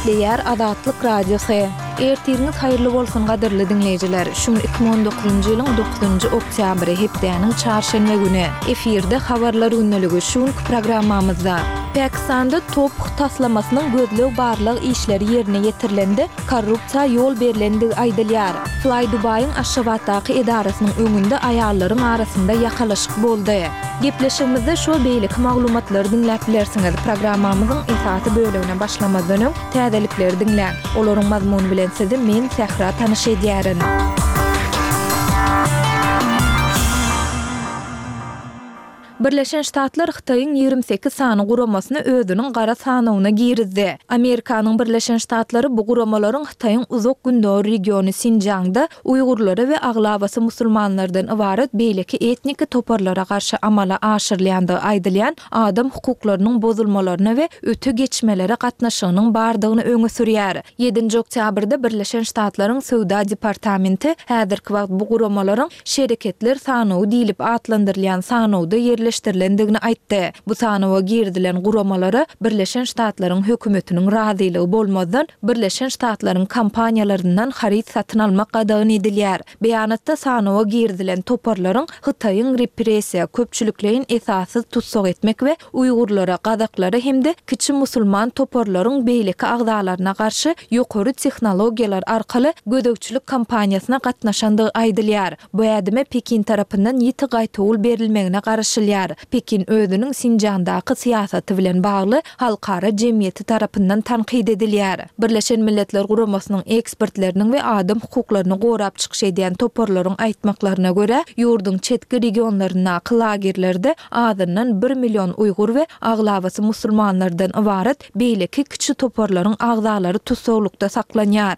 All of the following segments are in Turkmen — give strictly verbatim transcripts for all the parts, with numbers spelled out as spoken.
Gepleýär Azatlyk Radiosy. Ertiriňiz haýyrly bolsun gadyrly diňleýjiler. Şu gün iki müň on dokuzynjy ýylyň dokuzynjy oktýabry, hepdäniň çarşenbe güni. Efirde Habarlar gündeligi şu günki programmamyzda. Pakistanda Toph taslamasynyň gözleg-barlag işleri ýerine ýetirilende korrupsiýa ýol berlendigi aýdylýar. Fly Dubaýyň Aşgabatdaky edarasynyň öňünde aýallaryň arasynda ýakalaşyk boldy. Gepleşigimizde şol beýleki maglumatlary diňläp bilersiňiz. Programmamyzyň esasy bölegine başlamazdan öň täzelikleri diňläň. Olaryň mazmuny bilen sizi men Sähra tanyş edýärin. Birleşen Ştatlar Hytaýyň ýigrimi sekiz sany guramasyny özüniň gara sanawyna girizdi. Amerikanyň Birleşen Ştatlary bu guramalaryň Hytaýyň Uzak Gündogar regiony Sinjiangda uýgurlara we aglabasy musulmanlardan ybarat beýleki etniki toparlara garşy amala aşyrylýandygy aýdylýan adam hukuklarynyň bozulmalaryna we öte geçmelere gatnaşygynyň bardygyny öňe sürýär. Ýedinji oktýabrda Birleşen Ştatlaryň Söwda departamenti häzirki wagt bu guramalaryň şereketler sanawy diýlip atlandyrylýan sanawda ýerleşdirilendigini aýtdy. Bu sanawa girizilen guramalara Birleşen Ştatlaryň hökümetiniň razylygy bolmazdan Birleşen Ştatlaryň kompaniýalaryndan haryt satyn almak gadagan edilýär. Beýanatda sanawa girizilen toparlaryň Hytaýyň repressiýa, köpçülikleýin esassyz tussag etmek we uýgurlara, gazaklara hem-de kiçi musulman toparlaryň beýleki agzalaryna garşy ýokary tehnologiýalar arkaly gözegçilik kampaniýasyna gatnaşandygy aýdylýar. Bu ädime Pekin tarapyndan ýiti gaýtawul berilmegine garaşylýar. Pekin özüniň Sinjiangdaky syýasaty bilen bagly halkara jemgyýeti tarapyndan tankyt edilýär. Birleşen Milletler Guramasynyň ekspertleriniň we adam hukuklaryny gorap çykyş edýän toparlaryň aýtmaklaryna görä, ýurduň çetki regionlaryndaky lagerlerde azyndan bir million uýgur we aglabasy musulmanlardan ybarat beýleki kiçi toparlaryň agzalary tussaglykda saklanýar.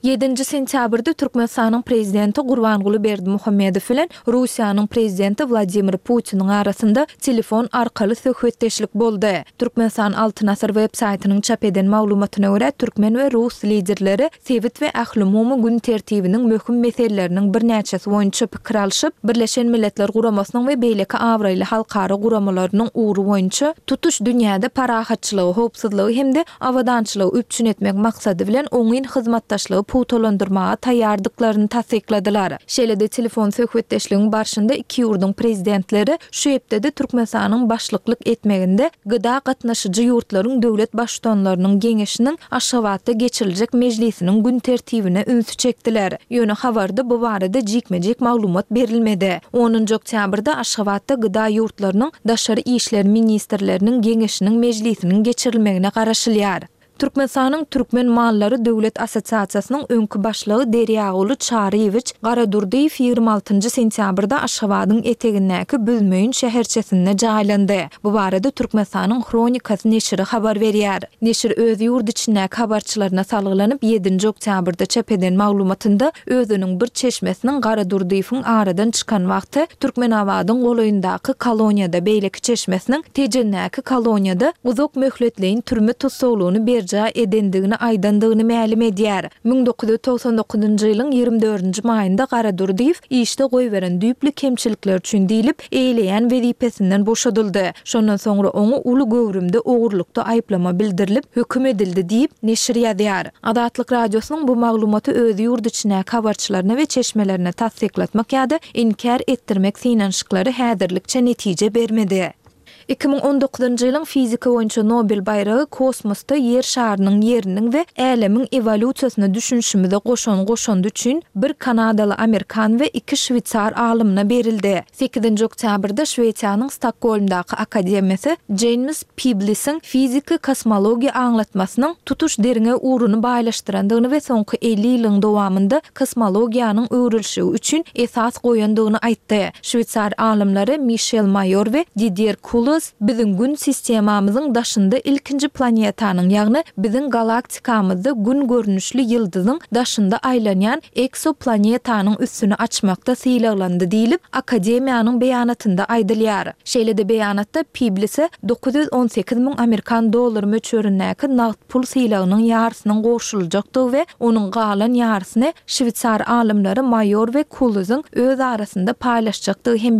Ýedinji sentýabrda Türkmenistanyň prezidenti Gurbanguly Berdimuhamedow bilen Russiýanyň prezidenti Wladimir Putiniň arasynda telefon arkaly söhbetdeşlik boldy. Türkmenistan Altyn Asyr web saýtynyň çap eden maglumatyna görä, türkmen we rus liderleri sebit we ählumumy gün tertibiniň möhüm meseleleriniň birnäçesi boýunça pikir alşyp, Birleşen Milletler Guramasynyň we beýleki abraýly halkara guramalarynyň ugry boýunça tutuş dünýäde parahatçylygy, howpsuzlygy hem-de abadançylygy üpjün etmek maksady bilen oňyn hyzmatdaşlygy pugtalandyrmaga taýýardyklaryny tassykladylar. Şeýle-de telefon söhbetdeşligiň barşynda iki ýurduň prezidentleri şu hepdede Türkmenistanyň başlyklyk etmeginde G D A gatnaşyjy ýurtlaryň döwlet baştutanlarynyň geňeşiniň Aşgabatda geçiriljek mejlisiniň gün tertibine ünsi çekdiler. Ýöne habarda bu barada jikme-jik maglumat berilmedi. Onunjy oktýabrda Aşgabatda G D A ýurtlarynyň daşary işler ministrleriniň geňeşiniň mejlisiniň geçirilmegine garaşylýar. Türkmenistanyň Türkmen mallary döwlet assosiasiýasynyň öňki başlygy Derýaguly Çaryýewiç Garadurdyýew ýigrimi altynjy sentýabrda Aşgabadyň etegindäki Büzmeýin şäherçesinde jaýlandy. Bu barada Türkmenistanyň Hronikasy neşiri habar berýär. Neşir öz ýurt içindäki habarçylaryna salgylanyp, ýedinji oktýabrda çap eden maglumatynda özüniň bir çeşmesiniň Garadurdyýewiň aradan çykan wagty Türkmenabadyň golaýyndaky koloniýada, beýleki çeşmesiniň Tejendäki koloniýada uzak möhletleýin türme tussaglygyny berjaý edendigini aýdandygyny mälim edýär. Müň dokuz ýüz togsan dokuzynjy ýylyň ýigrimi dördünji maýynda Garadurdyýew işde goýberen düýpli kemçilikler üçin diýlip, eýleýän wezipesinden boşadyldy. Şondan soňra oňa uly göwrümde ogurlykda aýyplama bildirilip, höküm edildi diýip, neşir ýazýar. Azatlyk Radiosynyň bu maglumaty öz ýurt içindäki habarçylaryna we çeşmelerine tassyklatmak ýa-da inkär etdirmek synanyşyklary häzirlikçe netije bermedi. Iki müň on dokuzynjy ýylyň fizika boýunça Nobel baýragy kosmosda ýer şarynyň ýeriniň we älemiň ewolýusiýasyna düşünişimize goşan goşandy üçin bir kanadaly amerikan we iki şweýsar alymyna berildi. Sekizinji oktýabrda Şwesiýanyň Stokgolmdaky akademiýasy Jeýms Piblisiň fiziki kosmologiýa aňlatmasynyň tutuş derňew ugruny baýlaşdyrandygyny we soňky elli ýylyň dowamynda kosmologiýanyň öwrülişigi üçin esas goýandygyny aýtdy. Şweýsar alymlary Mişel Maýor we Didier Kulos biziň gün sistemamyzyň daşynda ilkinji planetanyň, ýagny biziň galaktikamyzda gün görnüşli ýyldyzyň daşynda aýlanýan eksoplanetanyň üstüni açmakda sylaglandy diýlip, akademiýanyň beýanatynda aýdylýar. Şeýle-de beýanatda Piblise dokuz ýüz on sekiz müň amerikan dollary möçberindäki nagt pul sylagynyň ýarysynyň goşuljakdygy we onuň galan ýarysyny şweýsar alymlary Maýor we Kulozyň öz arasynda paýlaşjakdygy hem